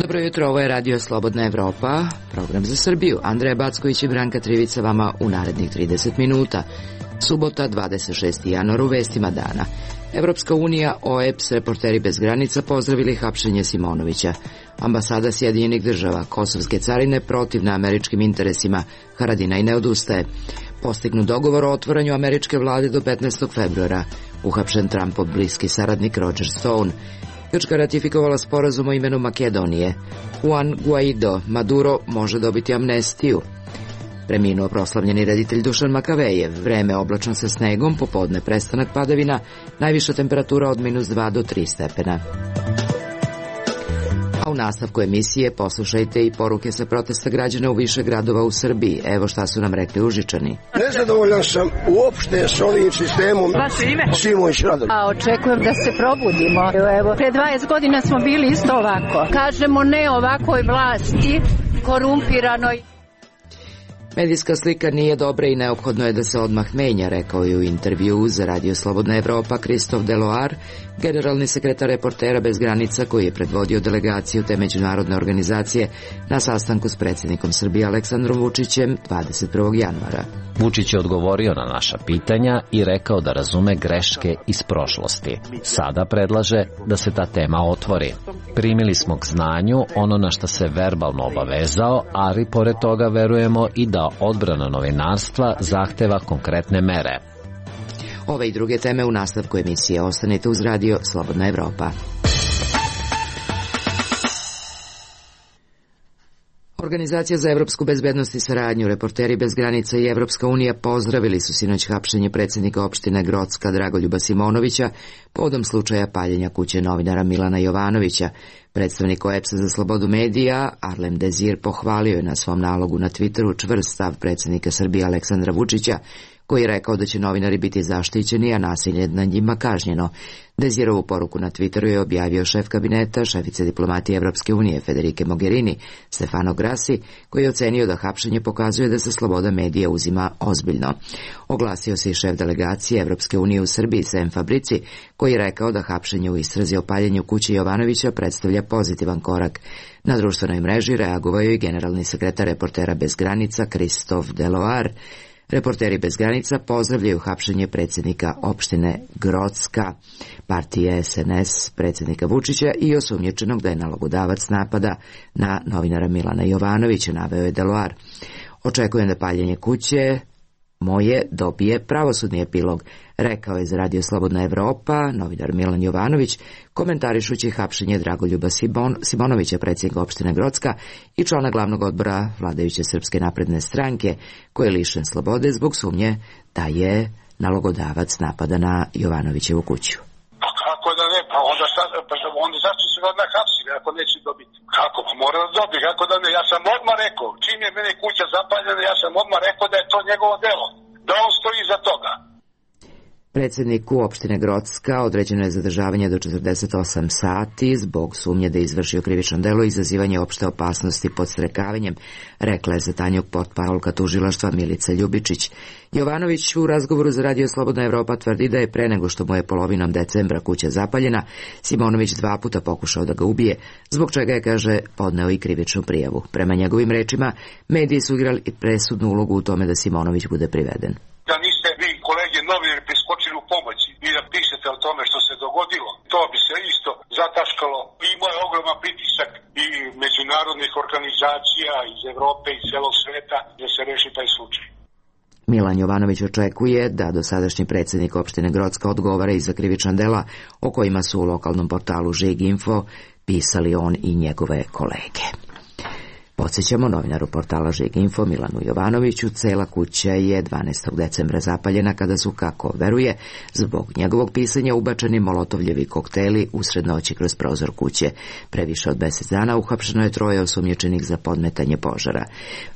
Dobro jutro, ovo je Radio Slobodna Evropa, program za Srbiju. Andreja Backović i Branka Trivica vama u narednih 30 minuta. Subota, 26. januar, u vestima dana. Evropska unija, OEBS, Reporteri bez granica pozdravili hapšenje Simonovića. Ambasada Sjedinjenih država, kosovske carine protivna američkim interesima, Haradinaj ne odustaje. Postignut dogovor o otvaranju američke vlade do 15. februara. Uhapšen Trumpov bliski saradnik Roger Stone. Grčka ratifikovala sporazum o imenu Makedonije. Juan Guaido, Maduro može dobiti amnestiju. Preminuo proslavljeni reditelj Dušan Makavejev. Vreme oblačno sa snegom, popodne prestanak padavina, najviša temperatura od -2 do 3 stepena. A u nastavku emisije poslušajte i poruke sa protesta građana u više gradova u Srbiji. Evo šta su nam rekli Užičani. Nezadovoljan sam uopšte s ovim sistemom. Vaše ime? Simović Radovan. A očekujem da se probudimo. Evo, pre 20 godina smo bili isto ovako. Kažemo ne ovakvoj vlasti, korumpiranoj. Medijska slika nije dobra i neophodno je da se odmah menja, rekao je u intervjuu za Radio Slobodna Evropa Christophe Deloar, generalni sekretar Reportera bez granica koji je predvodio delegaciju te međunarodne organizacije na sastanku s predsjednikom Srbije Aleksandrom Vučićem 21. januara. Vučić je odgovorio na naša pitanja i rekao da razume greške iz prošlosti. Sada predlaže da se ta tema otvori. Primili smo k znanju ono na što se verbalno obavezao, ali pored toga verujemo i da odbrana novinarstva zahteva konkretne mere. Ove i druge teme u nastavku emisije. Ostanite uz Radio Slobodna Evropa. Organizacija za evropsku bezbednost i saradnju, Reporteri bez granica i Evropska unija pozdravili su sinoć hapšenje predsjednika opštine Grocka Dragoljuba Simonovića povodom slučaja paljenja kuće novinara Milana Jovanovića. Predstavnik OEBS-a za slobodu medija, Arlem Dezir, pohvalio je na svom nalogu na Twitteru čvrst stav predsjednika Srbije Aleksandra Vučića, koji je rekao da će novinari biti zaštićeni, a nasilje nad njima kažnjeno. Dezirovu poruku na Twitteru je objavio šef kabineta, šefice diplomatije Evropske unije Federike Mogherini, Stefano Grassi, koji je ocenio da hapšenje pokazuje da se sloboda medija uzima ozbiljno. Oglasio se i šef delegacije Evropske unije u Srbiji, Sem Fabrici, koji je rekao da hapšenje u istrazi o paljenju kuće Jovanovića predstavlja pozitivan korak. Na društvenoj mreži reagovao je i generalni sekretar Reportera bez granica Christophe Deloar. Reporteri bez granica pozdravljaju hapšenje predsjednika opštine Grocka, partije SNS predsjednika Vučića i osumnjičenog da je nalogodavac napada na novinara Milana Jovanovića, naveo je Deloar. Očekujem da paljenje kuće moje dobije pravosudni epilog, rekao je za Radio Slobodna Evropa novinar Milan Jovanović, komentarišući hapšenje Dragoljuba Simonovića, predsjednika opštine Grocka i člana glavnog odbora vladajuće Srpske napredne stranke, koji je lišen slobode zbog sumnje da je nalogodavac napada na Jovanovićevu kuću. Pa kako da ne, pa onda zašto se odmah hapsili ako neće dobiti? Kako? Pa mora da dobiti, kako da ne? Ja sam odmah rekao, čim je mene kuća zapaljena, ja sam odmah rekao da je to njegovo delo, da on stoji iza toga. Predsjedniku opštine Grocka određeno je zadržavanje do 48 sati zbog sumnje da je izvršio krivično delo i izazivanje opšte opasnosti podstrekavanjem, rekla je za Tanjug portparolka tužilaštva Milica Ljubičić. Jovanović u razgovoru za Radio Slobodna Evropa tvrdi da je pre nego što mu je polovinom decembra kuća zapaljena, Simonović 2 puta pokušao da ga ubije, zbog čega je, kaže, podneo i krivičnu prijavu. Prema njegovim rečima, mediji su igrali presudnu ulogu u tome da Simonović bude priveden. Da niste vi, kolege novinari, priskočili u pomoći i da pišete o tome što se dogodilo, to bi se isto zataškalo. Imao je ogroman pritisak i međunarodnih organizacija iz Evrope i celog sveta da se reši taj slučaj. Milan Jovanović očekuje da dosadašnji predsjednik opštine Grocka odgovara i za krivična dela o kojima su u lokalnom portalu Žig.info pisali on i njegove kolege. Podsjećamo, novinaru portala Žig.info Milanu Jovanoviću cela kuća je 12. decembra zapaljena kada su, kako veruje, zbog njegovog pisanja ubačeni molotovljevi kokteli usred noći kroz prozor kuće. Pre više od 10 dana uhapšeno je 3 osumnjičenih za podmetanje požara.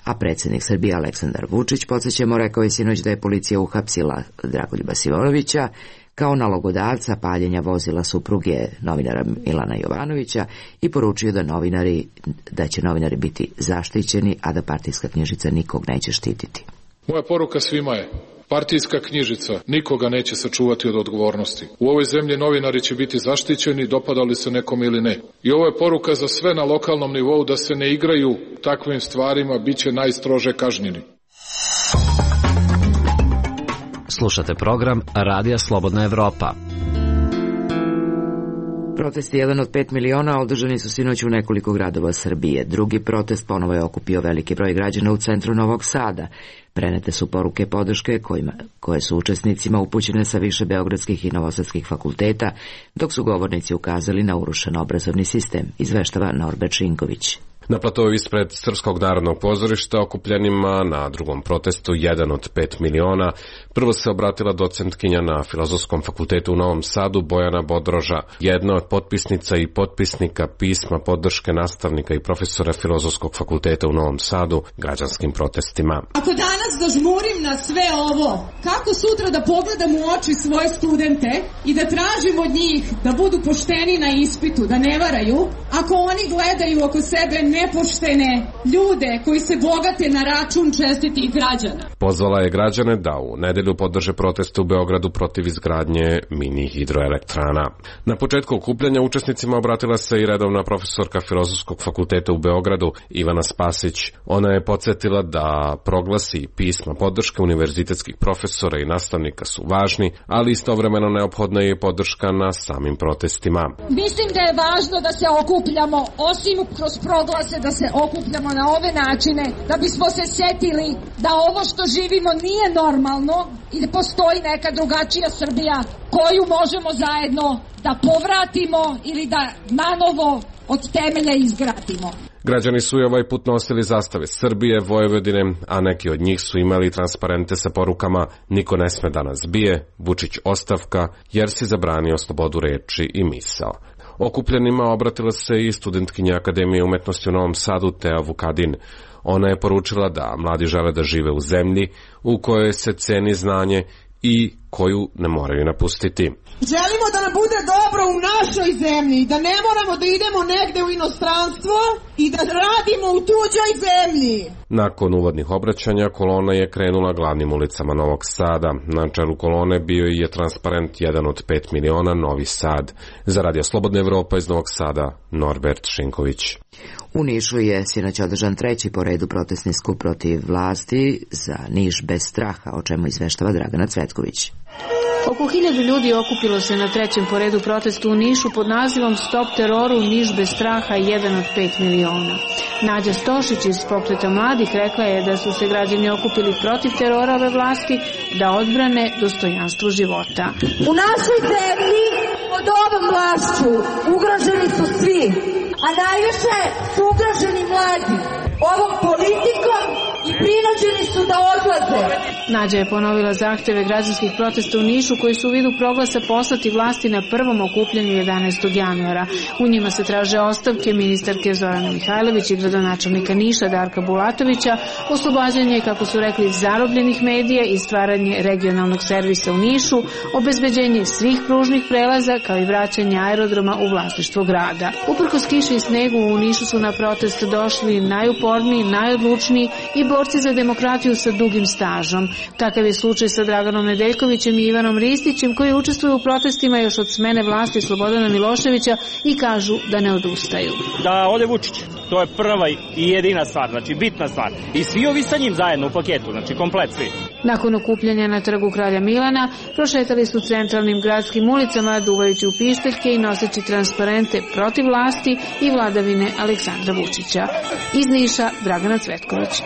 A predsjednik Srbije Aleksandar Vučić, podsjećamo, rekao je sinoć da je policija uhapsila Dragoljuba Simonovića, kao nalogodavca paljenja vozila supruge novinara Milana Jovanovića i poručio da će novinari biti zaštićeni, a da partijska knjižica nikog neće štititi. Moja poruka svima je: partijska knjižica nikoga neće sačuvati od odgovornosti. U ovoj zemlji novinari će biti zaštićeni, dopadali se nekome ili ne. I ovo je poruka za sve na lokalnom nivou da se ne igraju takvim stvarima, bit će najstrože kažnjeni. Slušate program Radija Slobodna Evropa. Protesti jedan od 5 miliona održani su sinoć u nekoliko gradova Srbije. Drugi protest ponovo je okupio veliki broj građana u centru Novog Sada. Prenete su poruke podrške koje su učesnicima upućene sa više beogradskih i novosadskih fakulteta, dok su govornici ukazali na urušen obrazovni sistem, izveštava Norbert Šinković. Na platovu ispred Srpskog narodnog pozorišta okupljenima na drugom protestu jedan od 5 miliona prvo se obratila docentkinja na Filozofskom fakultetu u Novom Sadu Bojana Bodroža, jedna od potpisnica i potpisnika pisma podrške nastavnika i profesora Filozofskog fakulteta u Novom Sadu građanskim protestima. Ako danas dožmurim na sve ovo, kako sutra da pogledam u oči svoje studente i da tražim od njih da budu pošteni na ispitu, da ne varaju, ako oni gledaju oko sebe nepoštene ljude koji se bogate na račun čestitih građana. Pozvala je građane da u nedelju podrže proteste u Beogradu protiv izgradnje mini hidroelektrana. Na početku okupljanja učesnicima obratila se i redovna profesorka Filozofskog fakulteta u Beogradu Ivana Spasić. Ona je podsjetila da proglasi pisma podrške univerzitetskih profesora i nastavnika su važni, ali istovremeno neophodna je podrška na samim protestima. Mislim da je važno da se okupljamo, osim kroz proglase, da se okupljamo na ove načine, da bismo se setili da ovo što živimo nije normalno i da postoji neka drugačija Srbija koju možemo zajedno da povratimo ili da nanovo od temelja izgradimo. Građani su i ovaj put nosili zastave Srbije, Vojvodine, a neki od njih su imali transparente sa porukama "Niko ne sme da nas bije, Vučić ostavka, jer si zabranio slobodu reči i misao". Okupljenima obratila se i studentkinja Akademije umetnosti u Novom Sadu Tea Vukadin. Ona je poručila da mladi žele da žive u zemlji u kojoj se ceni znanje i koju ne moraju napustiti. Želimo da nam bude dobro u našoj zemlji, da ne moramo da idemo negde u inostranstvo i da radimo u tuđoj zemlji. Nakon uvodnih obraćanja kolona je krenula glavnim ulicama Novog Sada. Na čelu kolone bio je transparent jedan od 5 miliona Novi Sad. Za Radio Slobodna Evropa iz Novog Sada, Norbert Šinković. U Nišu je sinoć održan treći po redu protestni skup protiv vlasti za Niš bez straha, o čemu izveštava Dragana Cvetković. Oko 1000 ljudi okupilo se na trećem po redu protestu u Nišu pod nazivom Stop teroru, Niš bez straha, 1 od 5 miliona. Nađa Stošić iz Pokreta mladih rekla je da su se građani okupili protiv terora ove vlasti, da odbrane dostojanstvo života. U našoj zemlji pod ovom vlašću ugroženi su svi, a najviše su ugroženi mladi ovom politikom i prinuđeni su da odlaze. Nađa je ponovila zahteve građanskih protesta u Nišu koji su u vidu proglasa poslati vlasti na prvom okupljanju 11. januara. U njima se traže ostavke ministarke Zorane Mihajlović i gradonačelnika Niša Darka Bulatovića, oslobađanje, kako su rekli, zarobljenih medija i stvaranje regionalnog servisa u Nišu, obezbeđenje svih pružnih prelaza kao i vraćanje aerodroma u vlasništvo grada. Uprkos kiši i snegu u Nišu su na protest došli najuporniji, najodlučniji i borci za demokratiju sa dugim stažom. Takav je slučaj sa Draganom Nedeljkovićem i Ivanom Ristićem koji učestvuju u protestima još od smene vlasti Slobodana Miloševića i kažu da ne odustaju. Da ode Vučić, to je prva i jedina stvar, znači bitna stvar. I svi ovi sa njim zajedno u paketu, znači komplet svi. Nakon okupljanja na trgu Kralja Milana prošetali su centralnim gradskim ulicama duvajući u pištaljke i noseći transparente protiv vlasti i vladavine Aleksandra Vučića. Iz Niša, Dragana Cvetković.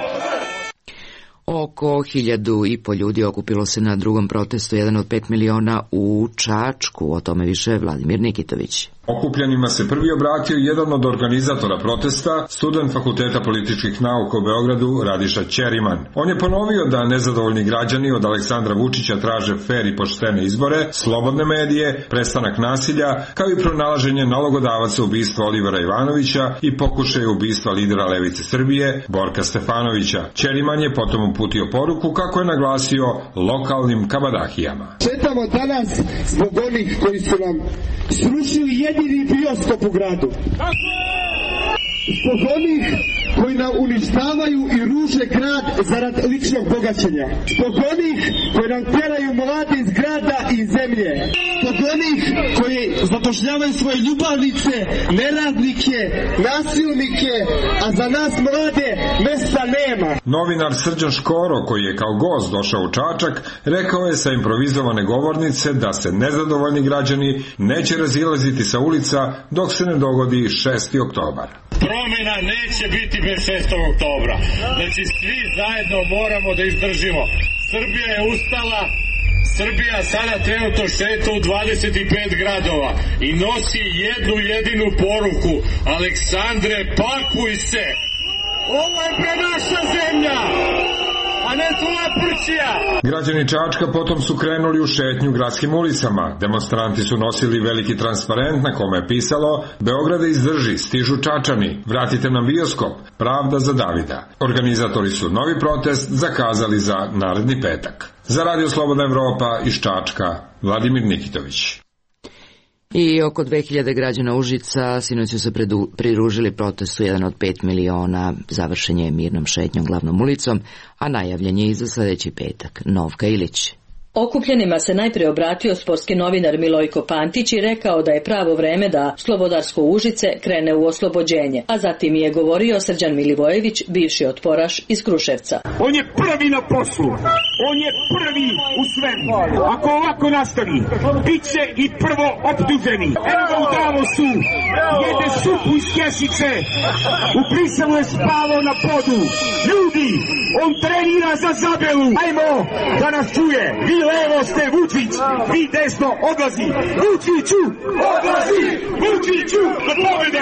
Oko 1.500 ljudi okupilo se na drugom protestu 1 od 5 miliona u Čačku. O tome više Vladimir Nikitović. Okupljanima se prvi obratio jedan od organizatora protesta, student Fakulteta političkih nauka u Beogradu Radiša Ćeriman. On je ponovio da nezadovoljni građani od Aleksandra Vučića traže fer i poštene izbore, slobodne medije, prestanak nasilja, kao i pronalaženje nalogodavaca ubistva Olivera Ivanovića i pokušaja ubistva lidera Levice Srbije Borka Stefanovića. Ćeriman je potom uputio poruku kako je naglasio lokalnim kabadahijama. Četamo danas zbog onih koji su nam srušili jedini bioskop u gradu. Zbog onih koji nam uništavaju i ruže grad zarad ličnog bogaćenja. Zbog onih koji nam teraju mlade iz grada i zemlje. Zbog onih koji zapošljavaju svoje ljubavnice, neradnike, nasilnike, a za nas mlade mesta nema. Novinar Srđan Škoro, koji je kao gost došao u Čačak, rekao je sa improvizovane govornice da se nezadovoljni građani neće razilaziti sa ulica dok se ne dogodi 6. oktobar. Promjena neće biti bez 6. oktobra. Znači svi zajedno moramo da izdržimo. Srbija je ustala, Srbija sada trenutno šeta u 25 gradova i nosi jednu jedinu poruku: Aleksandre, pakuj se! Ovo je pre naša zemlja! A ne tvoja prćija! Građani Čačka potom su krenuli u šetnju gradskim ulicama. Demonstranti su nosili veliki transparent na kome je pisalo: Beograda izdrži, stižu Čačani, vratite nam bioskop, pravda za Davida. Organizatori su novi protest zakazali za naredni petak. Za Radio Slobodna Evropa iz Čačka, Vladimir Nikitović. I oko 2000 građana Užica sinoć su se pridružili protestu 1 od 5 miliona. Završen je mirnom šetnjom glavnom ulicom, a najavljen je i za sledeći petak. Novka Ilić. Okupljenima se najprije obratio sportski novinar Milojko Pantić i rekao da je pravo vreme da Slobodarsko Užice krene u oslobođenje, a zatim je govorio Srđan Milivojević, bivši otporaš iz Kruševca. On je prvi na poslu, on je prvi u svemu. Ako ovako nastavi, bit će i prvo optuženi. Evo ga u Davosu, jede supu iz kešice, u Briselu je spavao na podu. Ljudi, on trenira za Zabelu, ajmo da nas čuje. Vi levo ste Vučić, vi desno odlazi. Vučiću, odlazi, Vučiću, do pobede!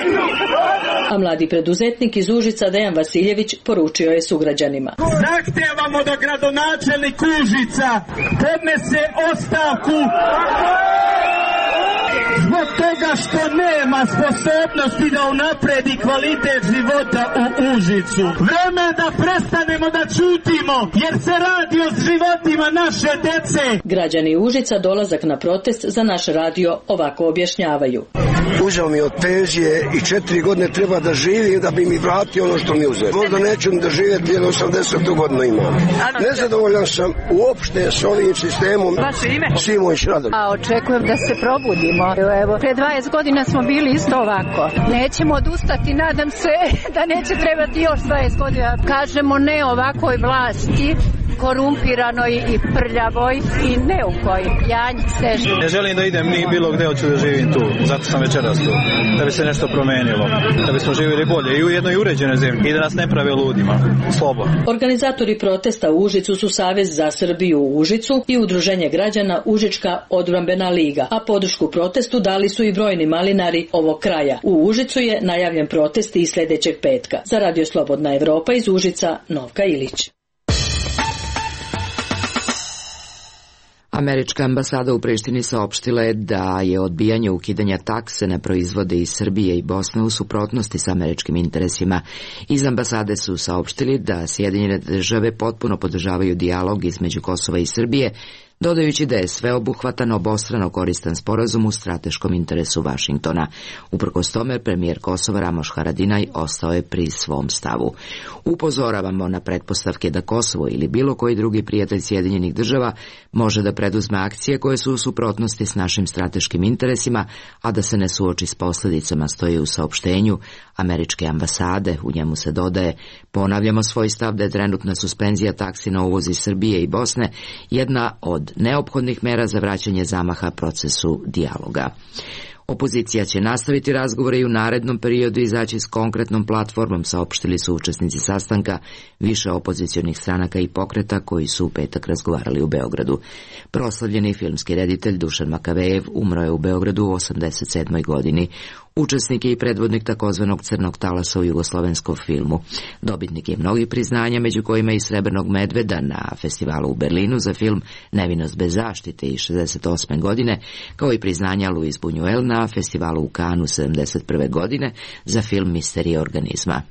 A mladi preduzetnik iz Užica Dejan Vasiljević poručio je sugrađanima: Zahtevamo da gradonačelnik Užica podnese ostavku zbog toga što nema sposobnosti da unapredi kvalitet života u Užicu. Vreme da prestanemo da ćutimo, jer se radi o životima naše dece. Građani Užica dolazak na protest za naš radio ovako objašnjavaju. Uzeo mi od penzije i 4 godine treba da živim da bi mi vratio ono što mi uzeo. Možda neću da živjeti jer 80 godina imam. Nezadovoljan sam uopšte s ovim sistemom. Vaše ime? Simović Radoljub. A očekujem da se probudimo. Evo, pre 20 godina smo bili isto ovako. Nećemo odustati, nadam se da neće trebati još 20 godina. Kažemo ne ovakvoj vlasti, korumpiranoj i prljavoj i neukoj. Janj Sežu. Ne želim da idem ni bilo gde, hoću da živim tu. Zato sam večeras tu. Da bi se nešto promenilo. Da bismo živjeli bolje i u jednoj uređenoj zemlji. I da nas ne prave ludima. Slobodno. Organizatori protesta u Užicu su Savez za Srbiju u Užicu i Udruženje građana Užička odbrambena liga. A podršku protestu dali su i brojni malinari ovog kraja. U Užicu je najavljen protest i sledećeg petka. Za Radio Slobodna Evropa iz Užica, Novka Ilić. Američka ambasada u Prištini saopštila je da je odbijanje ukidanja takse na proizvode iz Srbije i Bosne u suprotnosti sa američkim interesima. Iz ambasade su saopštili da Sjedinjene države potpuno podržavaju dijalog između Kosova i Srbije, dodajući da je sveobuhvatan, obostrano koristan sporazum u strateškom interesu Vašingtona. Uprkos tome, premijer Kosova Ramoš Haradinaj ostao je pri svom stavu. Upozoravamo na pretpostavke da Kosovo ili bilo koji drugi prijatelj Sjedinjenih država može da preduzme akcije koje su u suprotnosti s našim strateškim interesima, a da se ne suoči s posljedicama, stoji u saopštenju američke ambasade. U njemu se dodaje: ponavljamo svoj stav da je trenutna suspenzija taksi na uvoz iz Srbije i Bosne jedna od neophodnih mera za vraćanje zamaha procesu dijaloga. Opozicija će nastaviti razgovore i u narednom periodu izaći s konkretnom platformom, saopštili su učesnici sastanka više opozicionih stranaka i pokreta koji su u petak razgovarali u Beogradu. Proslavljeni filmski reditelj Dušan Makavejev umro je u Beogradu u 87. godini. Učesnik je i predvodnik takozvanog crnog talasa u jugoslovenskom filmu. Dobitnik je mnogih priznanja, među kojima i Srebrnog medveda na festivalu u Berlinu za film Nevinost bez zaštite iz 68. godine, kao i priznanja Luis Buñuel na festivalu u Cannesu 71. godine za film Misterija organizma.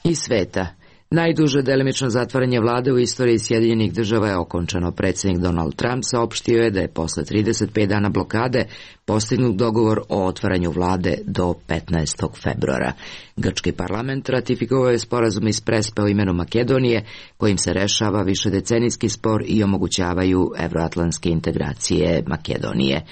Iz sveta. Najduže delimično zatvaranje vlade u istoriji Sjedinjenih Država je okončano. Predsjednik Donald Trump saopštio je da je posle 35 dana blokade postignut dogovor o otvaranju vlade do 15. februara. Grčki parlament ratifikovao je sporazum iz Prespe o imenu Makedonije, kojim se rešava višedecenijski spor i omogućavaju evroatlantske integracije Makedonije.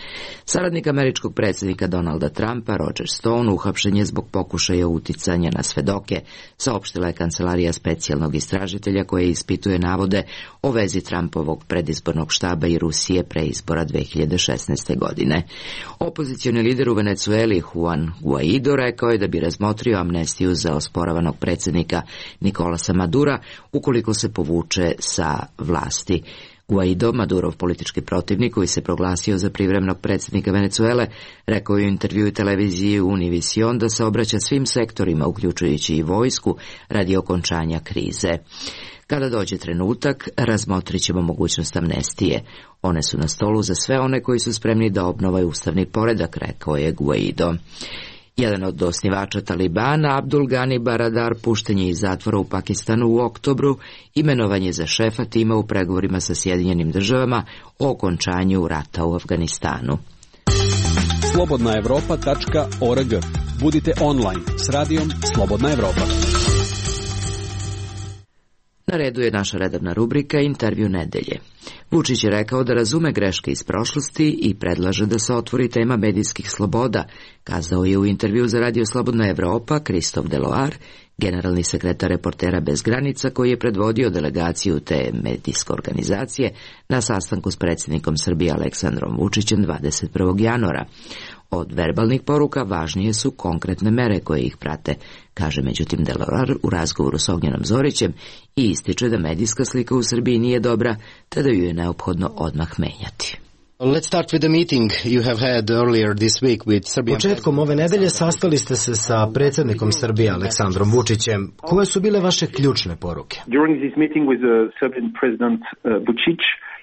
Saradnik američkog predsjednika Donalda Trumpa, Roger Stone, uhapšen je zbog pokušaja uticanja na svedoke, saopštila je kancelarija specijalnog istražitelja koje ispituje navode o vezi Trumpovog predizbornog štaba i Rusije pre izbora 2016. godine. Opozicioni lider u Venecueli Juan Guaido rekao je da bi razmotrio amnestiju za osporavanog predsjednika Nicolasa Madura ukoliko se povuče sa vlasti. Guaido, Madurov politički protivnik koji se proglasio za privremenog predsjednika Venecuele, rekao je u intervjuu televiziji Univision da se obraća svim sektorima, uključujući i vojsku, radi okončanja krize. Kada dođe trenutak, razmotrit ćemo mogućnost amnestije. One su na stolu za sve one koji su spremni da obnovaju ustavni poredak, rekao je Guaido. Jedan od osnivača Talibana, Abdul Ghani Baradar, pušten je iz zatvora u Pakistanu u oktobru, imenovan je za šefa tima u pregovorima sa Sjedinjenim Državama o okončanju rata u Afganistanu. Slobodnaevropa.org. Budite online s radijom Slobodna Evropa. Na redu je naša redovna rubrika Intervju nedelje. Vučić je rekao da razume greške iz prošlosti i predlaže da se otvori tema medijskih sloboda, kazao je u intervju za Radio Slobodna Evropa Christophe Deloar, generalni sekretar Reportera bez granica, koji je predvodio delegaciju te medijske organizacije na sastanku s predsjednikom Srbije Aleksandrom Vučićem 21. januara. Od verbalnih poruka važnije su konkretne mere koje ih prate, kaže međutim Deloar u razgovoru s Ognjenom Zorićem i ističe da medijska slika u Srbiji nije dobra, te da ju je neophodno odmah menjati. Početkom ove nedelje sastali ste se sa predsjednikom Srbije Aleksandrom Vučićem. Koje su bile vaše ključne poruke?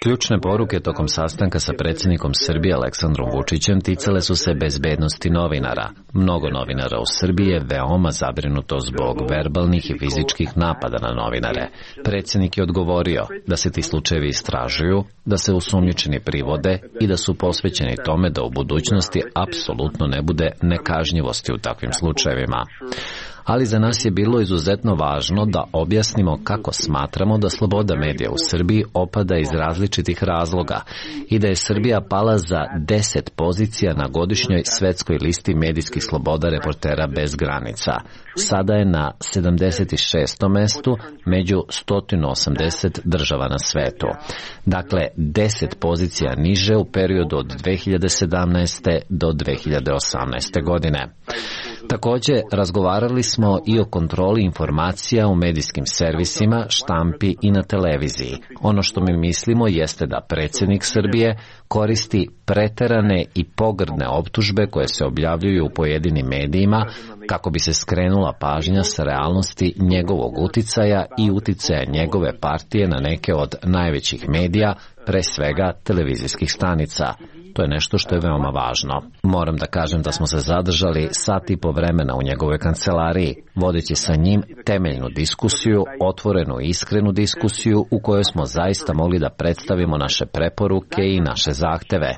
Ključne poruke tokom sastanka sa predsjednikom Srbije Aleksandrom Vučićem ticale su se bezbednosti novinara. Mnogo novinara u Srbiji je veoma zabrinuto zbog verbalnih i fizičkih napada na novinare. Predsjednik je odgovorio da se ti slučajevi istražuju, da se osumnjičeni privode i da su posvećeni tome da u budućnosti apsolutno ne bude nekažnjivosti u takvim slučajevima. Ali za nas je bilo izuzetno važno da objasnimo kako smatramo da sloboda medija u Srbiji opada iz različitih razloga i da je Srbija pala za 10 pozicija na godišnjoj svetskoj listi medijskih sloboda Reportera bez granica. Sada je na 76. mestu među 180 država na svetu. Dakle, 10 pozicija niže u periodu od 2017. do 2018. godine. Također, razgovarali smo i o kontroli informacija u medijskim servisima, štampi i na televiziji. Ono što mi mislimo jeste da predsjednik Srbije koristi preterane i pogrdne optužbe koje se objavljuju u pojedinim medijima kako bi se skrenula pažnja sa realnosti njegovog uticaja i uticaja njegove partije na neke od najvećih medija, pre svega televizijskih stanica. To je nešto što je veoma važno. Moram da kažem da smo se zadržali sat i po vremena u njegovoj kancelariji, vodeći sa njim temeljnu diskusiju, otvorenu i iskrenu diskusiju u kojoj smo zaista mogli da predstavimo naše preporuke i naše zahteve.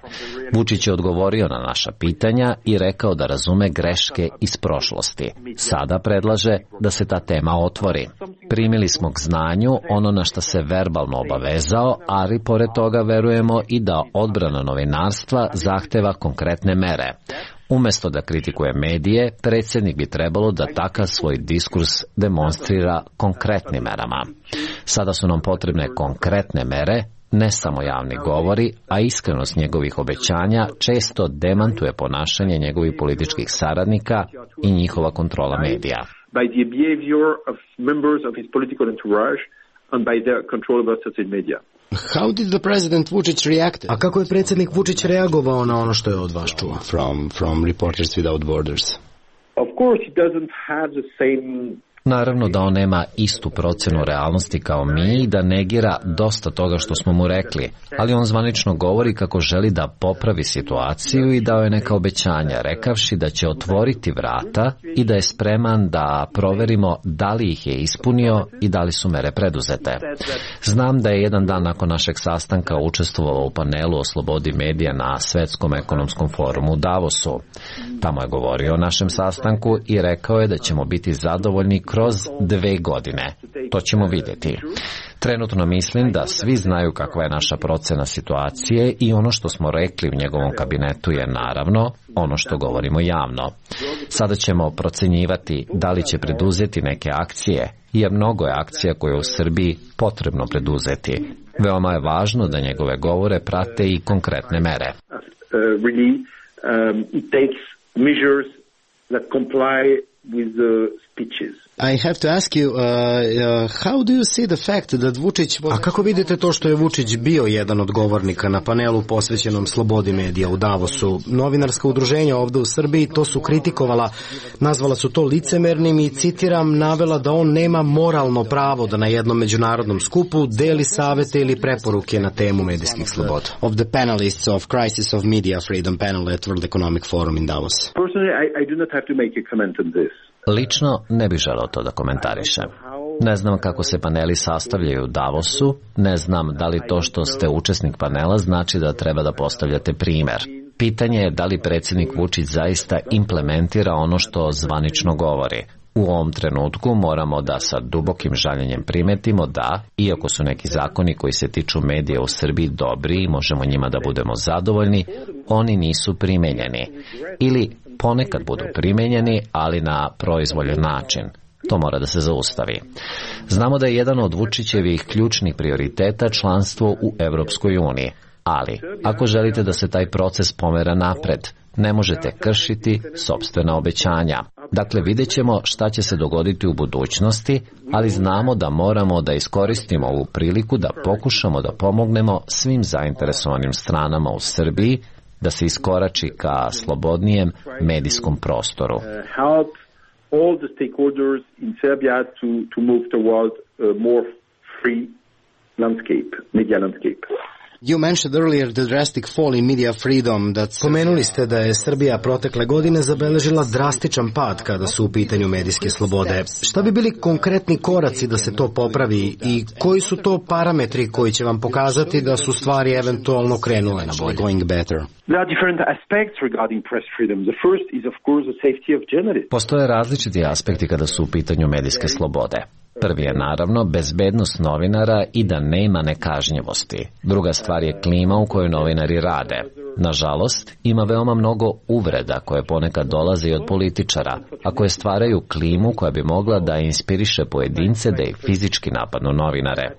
Vučić je odgovorio na naša pitanja i rekao da razume greške iz prošlosti. Sada predlaže da se ta tema otvori. Primili smo k znanju ono na što se verbalno obavezao, ali pored toga verujemo i da odbrana novinarstva zahteva konkretne mere. Umesto da kritikuje medije, predsjednik bi trebalo da takav svoj diskurs demonstrira konkretnim merama. Sada su nam potrebne konkretne mere, ne samo javni govori, a iskrenost njegovih obećanja često demantuje ponašanje njegovih političkih saradnika i njihova kontrola medija. By the behavior of members of his political entourage and by their control over social media. How did the president Vučić react? A kako je predsjednik Vučić reagovao na ono što je od vas čuo? From Reporters Without Borders. Of course he doesn't have the same. Naravno da on nema istu procenu realnosti kao mi i da negira dosta toga što smo mu rekli, ali on zvanično govori kako želi da popravi situaciju i dao je neka obećanja, rekavši da će otvoriti vrata i da je spreman da proverimo da li ih je ispunio i da li su mere preduzete. Znam da je jedan dan nakon našeg sastanka učestvovao u panelu o slobodi medija na Svetskom ekonomskom forumu u Davosu. Tamo je govorio o našem sastanku i rekao je da ćemo biti zadovoljni kroz 2 godine. To ćemo vidjeti. Trenutno mislim da svi znaju kakva je naša procena situacije i ono što smo rekli u njegovom kabinetu je naravno ono što govorimo javno. Sada ćemo procenjivati da li će preduzeti neke akcije, jer mnogo je akcija koje je u Srbiji potrebno preduzeti. Veoma je važno da njegove govore prate i konkretne mere. It takes measures that comply with the speeches. I have to ask you, how do you see the fact that Vučić... A kako vidite to što je Vučić bio jedan od govornika na panelu posvećenom slobodi medija u Davosu? Novinarska udruženja ovdje u Srbiji to su kritikovala, nazvala su to licemernim i, citiram, navela da on nema moralno pravo da na jednom međunarodnom skupu deli savete ili preporuke na temu medijskih sloboda. Of the panelists of Crisis of Media Freedom panel at World Economic Forum in Davos. Personally, I do not have to make a comment on this. Lično ne bih želeo to da komentarišem. Ne znam kako se paneli sastavljaju u Davosu, ne znam da li to što ste učesnik panela znači da treba da postavljate primer. Pitanje je da li predsjednik Vučić zaista implementira ono što zvanično govori. U ovom trenutku moramo da sa dubokim žaljenjem primetimo da, iako su neki zakoni koji se tiču medija u Srbiji dobri i možemo njima da budemo zadovoljni, oni nisu primenjeni. Ili ponekad budu primenjeni, ali na proizvoljen način. To mora da se zaustavi. Znamo da je jedan od Vučićevih ključnih prioriteta članstvo u Evropskoj uniji. Ali, ako želite da se taj proces pomera napred, ne možete kršiti sopstvena obećanja. Dakle, vidjet ćemo šta će se dogoditi u budućnosti, ali znamo da moramo da iskoristimo ovu priliku da pokušamo da pomognemo svim zainteresovanim stranama u Srbiji da se iskorači ka slobodnijem medijskom prostoru. Help all the stakeholders in Serbia to move toward a more free landscape, media landscape. You mentioned earlier the drastic fall in media freedom. Pomenuli ste da je Srbija protekle godine zabeležila drastičan pad kada su u pitanju medijske slobode. Šta bi bili konkretni koraci da se to popravi i koji su to parametri koji će vam pokazati da su stvari eventualno krenule na bolje? Going better. There are different aspects regarding press freedom. The first is of course the safety of journalists. Postoje različiti aspekti kada su u pitanju medijske slobode. Prvi je naravno bezbednost novinara i da nema nekažnjivosti. Druga stvar je klima u kojoj novinari rade. Nažalost, ima veoma mnogo uvreda koje ponekad dolaze i od političara, a koje stvaraju klimu koja bi mogla da inspiriše pojedince da ih fizički napadnu novinare.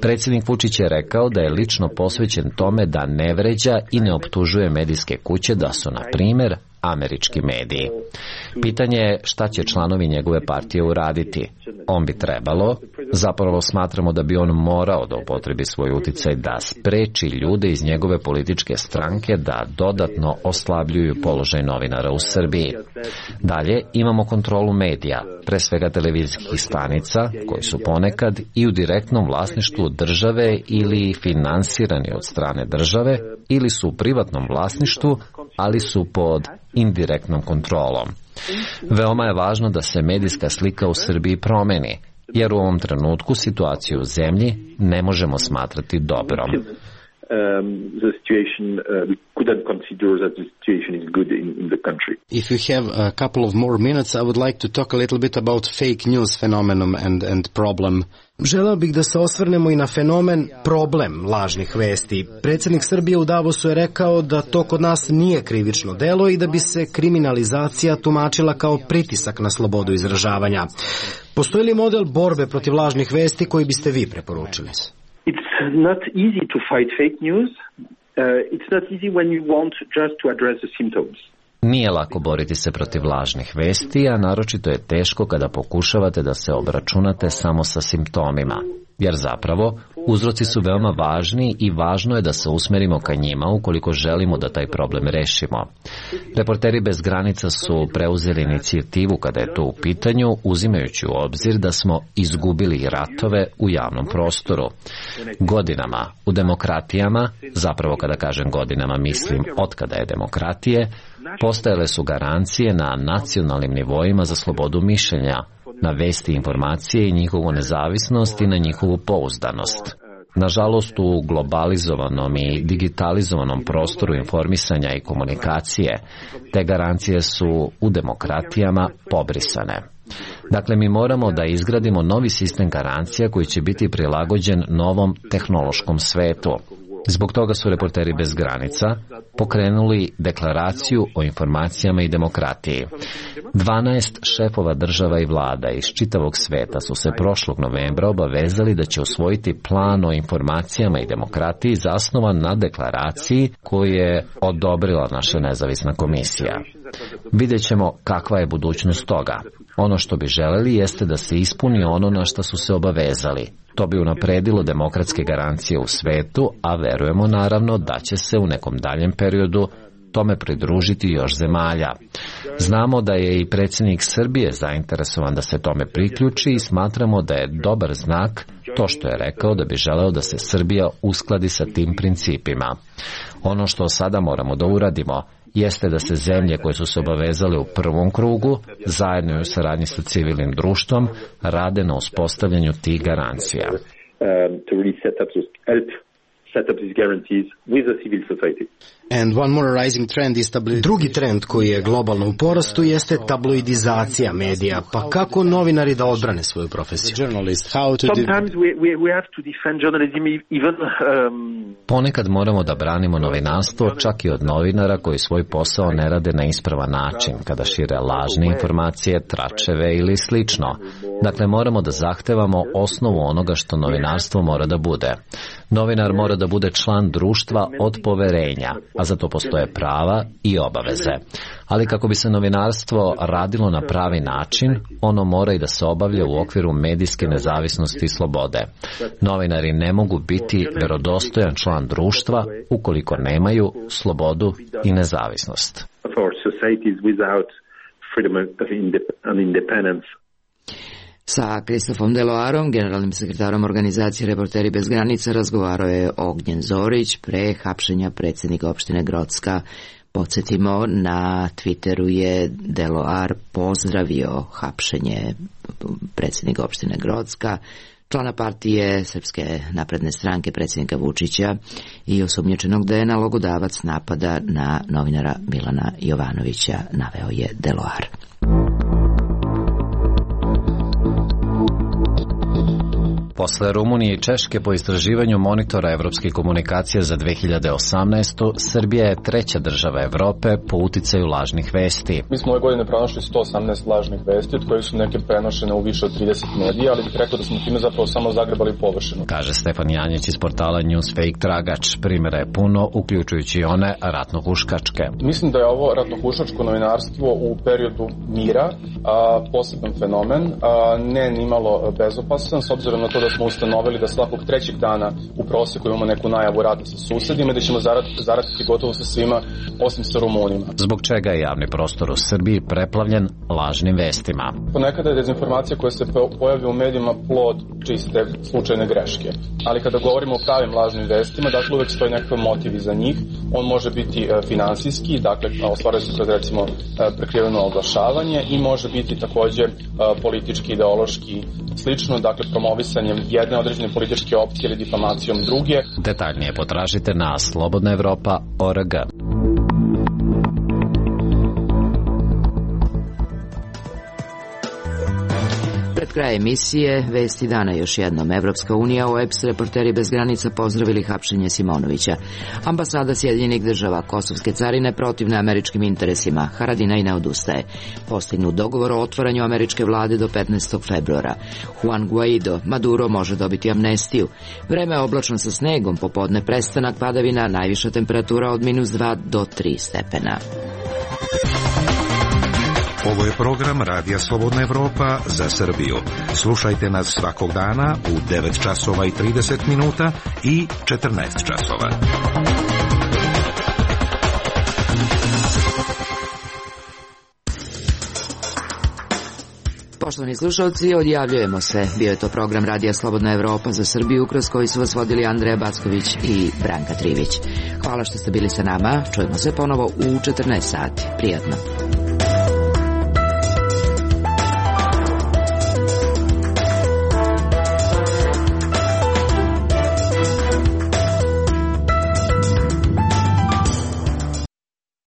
Predsjednik Vučić je rekao da je lično posvećen tome da ne vređa i ne optužuje medijske kuće da su, na primjer, američki mediji. Pitanje je šta će članovi njegove partije uraditi. On bi trebalo, zapravo smatramo da bi on morao da upotrebi svoj uticaj da spreči ljude iz njegove političke stranke da dodatno oslabljuju položaj novinara u Srbiji. Dalje imamo kontrolu medija, pre svega televizijskih stanica, koji su ponekad i u direktnom vlasništvu države ili finansirani od strane države, ili su u privatnom vlasništvu, ali su pod indirektnom kontrolom. Veoma je važno da se medijska slika u Srbiji promeni, jer u ovom trenutku situaciju u zemlji ne možemo smatrati dobrom. The situation, we couldn't consider that the situation is good in the country. If you have a couple of more minutes, I would like to talk a little bit about fake news phenomenon and problem. Želeo bih da se osvrnemo i na fenomen problem lažnih vesti. Predsjednik Srbije u Davosu je rekao da to kod nas nije krivično delo i da bi se kriminalizacija tumačila kao pritisak na slobodu izražavanja. Postoji li model borbe protiv lažnih vesti koji biste vi preporučili? It's not easy to fight fake news. It's not easy when you want just to address the symptoms. Nije lako boriti se protiv lažnih vesti, a naročito je teško kada pokušavate da se obračunate samo sa simptomima. Jer zapravo, uzroci su veoma važni i važno je da se usmerimo ka njima ukoliko želimo da taj problem rešimo. Reporteri bez granica su preuzeli inicijativu kada je to u pitanju, uzimajući u obzir da smo izgubili ratove u javnom prostoru. Godinama u demokratijama, zapravo kada kažem godinama mislim od kada je demokratije, postojale su garancije na nacionalnim nivoima za slobodu mišljenja, na vesti i informacije i njihovu nezavisnost i na njihovu pouzdanost. Nažalost, u globalizovanom i digitalizovanom prostoru informisanja i komunikacije, te garancije su u demokratijama pobrisane. Dakle, mi moramo da izgradimo novi sistem garancija koji će biti prilagođen novom tehnološkom svetu. Zbog toga su Reporteri bez granica pokrenuli deklaraciju o informacijama i demokratiji. 12 šefova država i vlada iz čitavog sveta su se prošlog novembra obavezali da će usvojiti plan o informacijama i demokratiji zasnovan na deklaraciji koju je odobrila naša nezavisna komisija. Vidjet ćemo kakva je budućnost toga. Ono što bi želeli jeste da se ispuni ono na što su se obavezali. To bi unapredilo demokratske garancije u svetu, a verujemo naravno da će se u nekom daljem periodu tome pridružiti još zemalja. Znamo da je i predsjednik Srbije zainteresovan da se tome priključi i smatramo da je dobar znak to što je rekao da bi želeo da se Srbija uskladi sa tim principima. Ono što sada moramo da uradimo jeste da se zemlje koje su se obavezale u prvom krugu, zajedno u saradnji sa civilnim društvom, rade na uspostavljanju tih garancija. Drugi trend koji je globalno u porastu jeste tabloidizacija medija. Pa kako novinari da odbrane svoju profesiju? Ponekad moramo da branimo novinarstvo čak i od novinara koji svoj posao ne rade na ispravan način, kada šire lažne informacije, tračeve ili slično. Dakle, moramo da zahtevamo osnovu onoga što novinarstvo mora da bude. Novinar mora da bude član društva od poverenja, a za to postoje prava i obaveze. Ali kako bi se novinarstvo radilo na pravi način, ono mora i da se obavlja u okviru medijske nezavisnosti i slobode. Novinari ne mogu biti verodostojan član društva ukoliko nemaju slobodu i nezavisnost. Sa Kristofom Deloarom, generalnim sekretarom organizacije Reporteri bez granica, razgovarao je Ognjen Zorić pre hapšenja predsjednika opštine Grocka. Podsjetimo, na Twitteru je Deloar pozdravio hapšenje predsjednika opštine Grocka, člana partije Srpske napredne stranke predsjednika Vučića i osumnjičenog da je nalogodavac napada na novinara Milana Jovanovića, naveo je Deloar. Posle Rumunije i Češke po istraživanju monitora evropskih komunikacija za 2018. Srbija je treća država Evrope po uticaju lažnih vesti. Mi smo ove godine pronašli 118 lažnih vesti, od kojih su neke prenošene u više od 30 medija, ali bih rekao da smo time zapravo samo zagrebali površinu. Kaže Stefan Janjić iz portala Newsfake Tragač. Primjera je puno, uključujući i one ratnohuškačke. Mislim da je ovo ratnohuškačko novinarstvo u periodu mira poseban fenomen, ne nimalo bezopasan, s obzirom na to da smo ustanovili da svakog trećeg dana u proseku imamo neku najavu rata sa susedima i da ćemo zaratiti gotovo sa svima osim sa Rumunima. Zbog čega je javni prostor u Srbiji preplavljen lažnim vestima? Ponekada je dezinformacija koja se pojavlja u medijima plod čiste slučajne greške. Ali kada govorimo o pravim lažnim vestima, dakle uvek stoji nekakav motiv iza njih. On može biti finansijski, dakle ostvaruje se kroz recimo prekriveno oglašavanje i može biti takođe politički, ideološki, slično, dakle promovisanjem jedne određene političke opcije ili difamacijom druge. Detaljnije potražite na slobodnaevropa.org. Pred kraja emisije, vesti dana još jednom. Evropska unija, OEBS, Reporteri bez granica pozdravili hapšenje Simonovića. Ambasada Sjedinjenih država, kosovske carine protivne američkim interesima. Haradinaj ne odustaje. Postignut dogovor o otvaranju američke vlade do 15. februara. Juan Guaido, Maduro može dobiti amnestiju. Vreme je oblačno sa snegom, popodne prestanak padavina, najviša temperatura od -2 do 3 stepena. Ovo je program Radija Slobodna Evropa za Srbiju. Slušajte nas svakog dana u 9 časova i 30 minuta i 14 časova. Poštovani slušalci, odjavljujemo se. Bio je to program Radija Slobodna Evropa za Srbiju, kroz koji su vas vodili Andreja Backović i Branka Trivić. Hvala što ste bili sa nama. Čujemo se ponovo u 14 sati. Prijatno.